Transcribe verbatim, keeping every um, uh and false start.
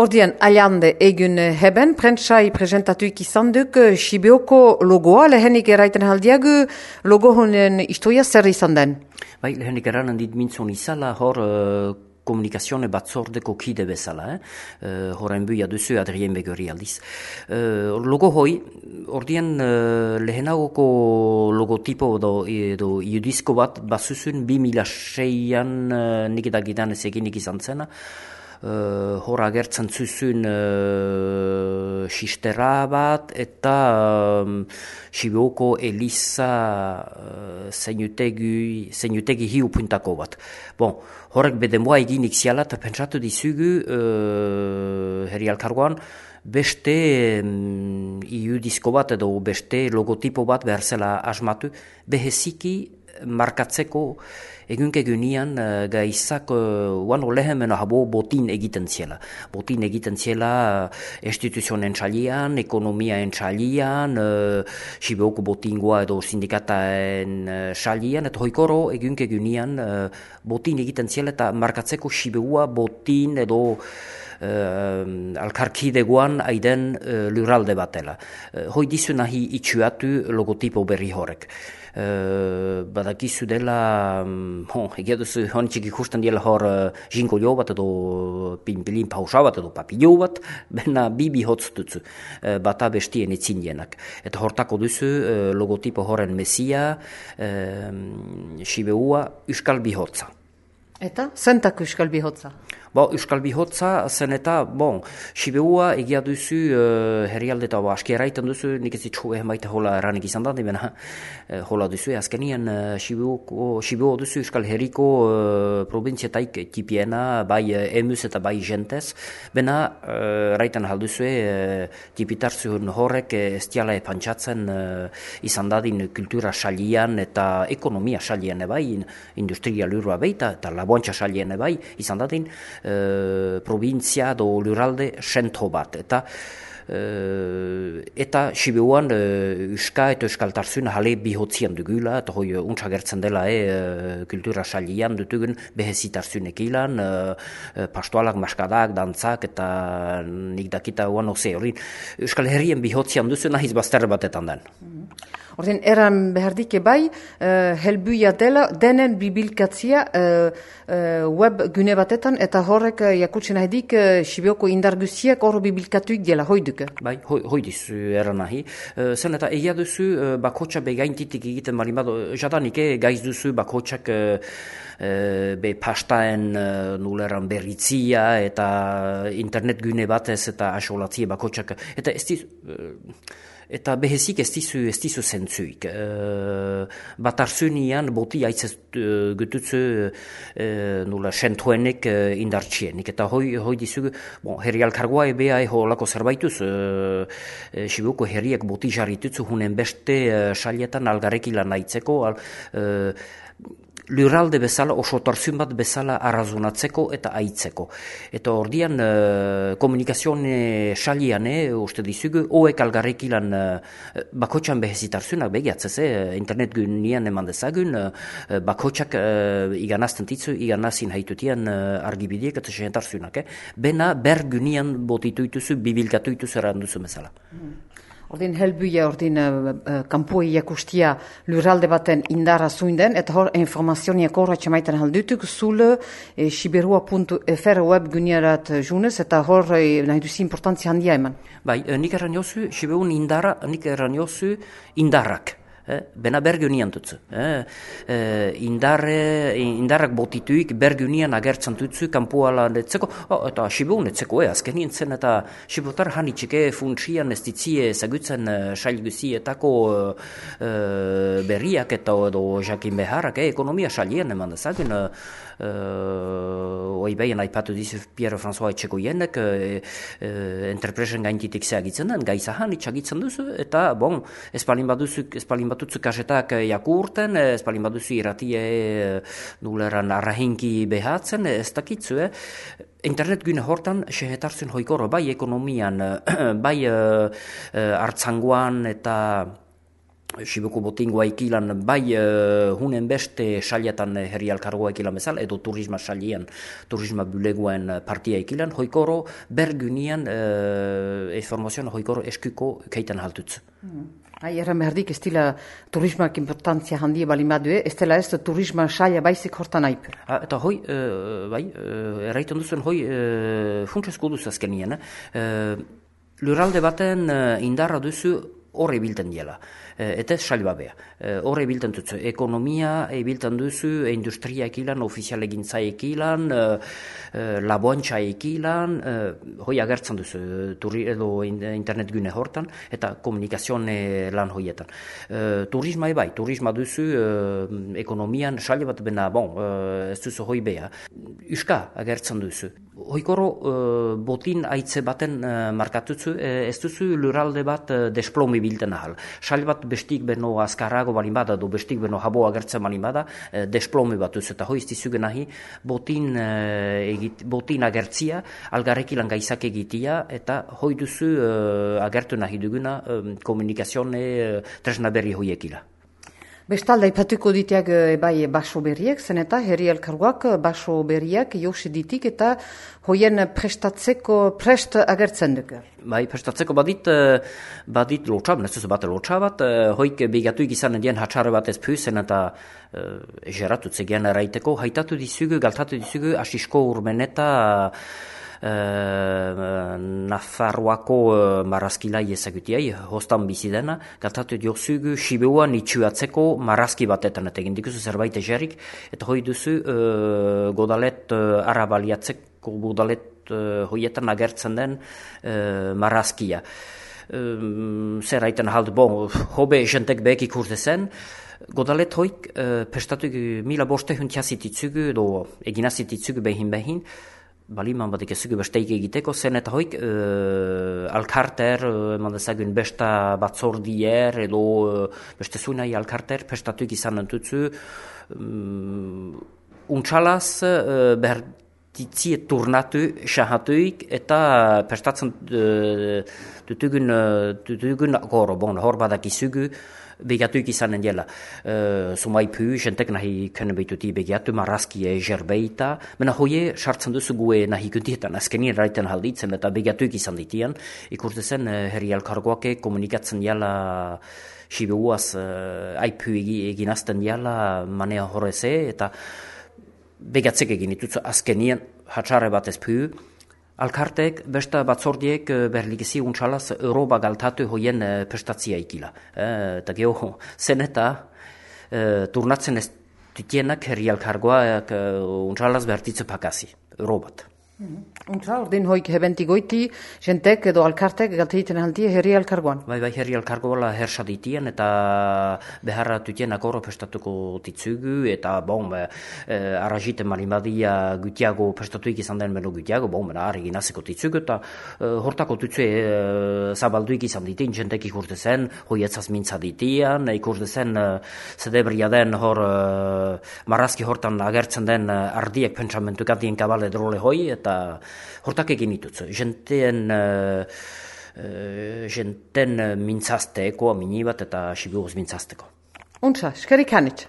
Ordian, aliande egun heben, prentsai presentatuik izan duk Sibeoko logoa, lehenik eraiten haldiagu logo honen istoia zer izan den? Bai, lehenik eranen dit mintzon izala, hor uh, komunikazione batzordeko kide bezala, eh? uh, horren buia duzu Adrien Begori aldiz. Uh, logo hoi, ordian uh, lehenagoko logotipo edo, edo iudizko bat bazuzun bi mila seian uh, nik edagidan ez eginik izan zena, Uh, hor agertzen zuzun uh, sistera bat eta um, Sibeoko Eliza uh, zeinutegi, zeinutegi hiu puntako bat. Bon, horrek bedemoa eginik ziala eta pentsatu dizugu uh, herri alkargoan beste um, iudizko bat edo beste logotipo bat behar zela asmatu beheziki markatzeko egunke gunian uh, gaizak uh, uano lehemena habo botin egiten ziela. Botin egiten ziela uh, instituzionen txalian, ekonomiaen txalian, uh, Sibeoko botingoa edo sindikataen txalian, uh, eta hoikoro egunke gunian uh, botin egiten ziela eta markatzeko Sibeua botin edo Uh, alkarkidegoan aiden uh, lurralde batela. Uh, hoi dizu nahi itxuatu logotipo berri horrek. Uh, badakizu dela, um, hon, egia duzu honitxik ikusten diela hor uh, jinkolio bat edo pinpilin pausa bat edo papilio bat, bena bibi hotz dutzu, uh, bata bestien itzindienak. Eta hortako duzu uh, logotipo horren mesia, uh, Sibeua Euskal Bihotza. Eta? Zentak Euskal Bihotza? Bo, Euskal Bihotza zen eta, bon, Sibeua egia duzu uh, herrialde eta aski erraiten duzu, nik ez ditxu ehen baita hola erranik izan da, dibena uh, hola duzu, azkenien uh, Sibeo duzu Euskal Herriko uh, provinzietaik tipiena, bai uh, emuz eta bai jentez, bena uh, erraiten halduzu, uh, tipitarzun horrek uh, ez diala epantxatzen uh, izan dadin kultura xalian eta ekonomia xalian bai, industria lurua beita eta laboantxa xalian bai, izan dadin, Uh, provintzia do lurralde sento bat eta uh, eta Sibeuan uh, Euska eta Euskaltarzun hale bihotzian dugula eta hoi untsa gertzen dela e, uh, kultura xalian dutugun behezitarzun ekilan uh, uh, pastoalak, maskadak, dantzak eta nik dakita uan oze hori Euskal Herrien bihotzian duzu nahiz bazterre batetan den. Mm-hmm. Ordean, eran behardike bai, uh, helbuia dela, denen bibilkatzia uh, uh, web gune batetan, eta horrek uh, jakutzen nahidik uh, Sibeoko indar guztiak hor bibilkatuik dela, hoi duke? Bai, hoi, hoi dizu eran nahi. Uh, zen eta egia duzu uh, bakotxa begaintitik egiten marin bado, jadanik eh, gaiz duzu bakotxak uh, uh, be pastaen uh, nuleran berritzia eta internet gune batez eta asolatzia bakotxak, eta ez dizu... Uh, Eta behezik ez dizu, ez dizu zentzuik. Uh, Batarzunian boti aitzez uh, gututzu uh, nula sentuenek uh, indartxienik. Eta hoi, hoi dizugu, bon, herri alkargoa ebea eho lako zerbaituz, uh, uh, Sibeoko herriak boti jarritutzu hunen beste uh, salietan algarekilan aitzeko, al, uh, lurralde bezala, osotarzun bat bezala arrazonatzeko eta aitzeko. Eta ordian uh, komunikazione xalian, eh, uste dizugu, oek algarrekilan uh, bakotxan behezitarzunak begiatzez, eh, internet gunian eman dezagun, uh, bakotxak uh, iganazten titzu, iganazin haitutian uh, argibidiek eta sehentarzunak. Eh. Bena ber gunian botituituzu, bibilkatuituzu erranduzu bezala. Mm. Ordin helbuia, ordin uh, uh, kampuei jakustia lurralde baten indara zuinden, eta hor informazioniak horra txamaiten haldutuk, zule eh, siberua puntu f r web gunearat junez, eta hor eh, nahi duzi importantzia handia eman. Bai, eh, nik erran jozu, Sibeun indara, nik erran jozu indarrak. Eh, bena bergunian dutzu. Eh, eh, indarre, indarrak botituik bergunian agertzen dutzu, kampuala netzeko, oh, eta Sibeun netzeko, eh, azkenien zen, eta Sibotar hanitxike funtsian ez ditzie zagutzen uh, sailguzietako uh, uh, berriak eta edo jakin beharrak, eh, ekonomia sailien eman dezagun, uh, uh, oi behin aipatu dizu Pierre-François Etxekoienek, uh, uh, entrepresen gaintitik zeagitzen den, gaizahan itxagitzen duzu, eta, bon, espalin baduzu, espalin batutzu kasetak jakurten, ez palin baduzu irratie nuleran arrahinki behatzen, ez dakitzu, eh? Internet gune hortan sehetarzen hoikoro, bai ekonomian, bai uh, uh, hartzangoan eta Sibuko botingoa ikilan bai uh, hunen beste saliatan herri alkargoa ikilan bezala, edo turisma salian, turisma bulegoen partia ikilan, hoikoro bergunian uh, informazioan hoikoro eskuko keitan haltutz. Mm. Hai, erran behardik ez dila turismak importantzia handia balimadue, ez dela ez turisma saia baizik hortan aipu. Ah, eta hoi, uh, bai, uh, erraiten duzuen hoi uh, funtsezko duz azkenien, uh, lurralde baten uh, indarra duzu horre bilten diela. Eta ez salibabea. Horre bilten duzu. Ekonomia bilten duzu, industria ekilan, ofizial egintza ekilan, laboantxa ekilan, hoi agertzen duzu, turi, edo internet gune hortan, eta komunikazione lan hoietan. Turisma ebai, turisma duzu, ekonomian salibat bena, bon, ez duzu hoi bea. Euska agertzen duzu. Hoikoro uh, botin aitze baten uh, markatutzu, ez duzu lurralde bat uh, desplomi bilten ahal. Sali bat bestik beno azkarrago balin bada, do bestik beno habo agertzen balin bada, uh, desplomi bat duzu. Eta hoizti zuge nahi, botin, uh, egit, botin agertzia, algarrekilan gaizak egitia, eta hoi duzu uh, agertu nahi duguna um, komunikazione uh, tresna berri hoiekila. Bestalda, ipatuko ditiak e, bai baso berriak, zen eta herri elkargoak baso berriak josi ditik eta hoien prestatzeko prest agertzen duk. Bai, prestatzeko badit, badit lotxab, nezuzu bat lotxabat, hoik bigatuik izan dien hatxarre bat ez püzen eta uh, egeratutze gian eraiteko, haitatu dizugu, galtatu dizugu, asisko urmeneta Uh, Nafarroako uh, marrazkilai ezagutiai, hostan bizi dena, galtatu diozugu Siberuan itxuatzeko marrazki batetan, eta egin dikuzu zerbait egerik, eta hoi duzu uh, godalet uh, arabaliatzeko godalet uh, hoietan agertzen den uh, marrazkia. Uh, zer haiten halde, bon, hobe jentek behek ikurte zen, godalet hoik uh, prestatu mila boste huntiazititzugu, edo eginazititzugu behin behin, baliman batik ezugu besteik egiteko, zen eta hoik uh, alkarter, uh, mandezagun besta batzordier, edo uh, beste zuinai alkarter, prestatuik izan entutzu, um, untxalaz uh, behar ditzie turnatu, xahatuik, eta prestatzen uh, dutugun, uh, dutugun goro, bon, hor badak izugu, begatuik izanen dela. Uh, Sumai pu, jentek nahi können behituti begatu, marrazki eger behita, mena hoie sartzen duzu gue nahi kuntietan, azkenien raiten halditzen eta begatuik izan ditian, ikurte zen uh, herri alkargoake komunikatzen dela Siberuaz uh, aipu eginazten dela manea horreze, eta begatzek egin ditutzu azkenien hatxarre bat ez pu, alkartek, besta batzordiek berlikezi untxalaz Europa galtatu hoien uh, prestatzia ikila. Uh, eta geho, zen eta uh, turnatzen ez ditienak herri alkargoak uh, untxalaz behartitzu pakasi, Europat. Mm-hmm. Untra, ordin hoik hebenti goiti, jentek edo alkartek galteiten aldi herri alkargoan. Bai, bai, herri alkargoala hersa ditien eta beharra tutien akoro prestatuko ditzugu eta bon, eh, arraziten marimadia gutiago prestatuik izan den beno gutiago, bon, bena harri ginazeko ditzugu eta eh, hortako tutze eh, zabalduik izan ditien, jentek ikurte zen, hoietzaz mintza ditian, ikurte zen eh, zedebria den hor eh, marrazki hortan agertzen den eh, ardiek pentsamentukatien kabale drole hoi eta hortak egin ditutzu. Jenten, uh, uh, jenten mintzazteko, amini bat eta Siberuz mintzazteko. Untza, eskerik hanitz.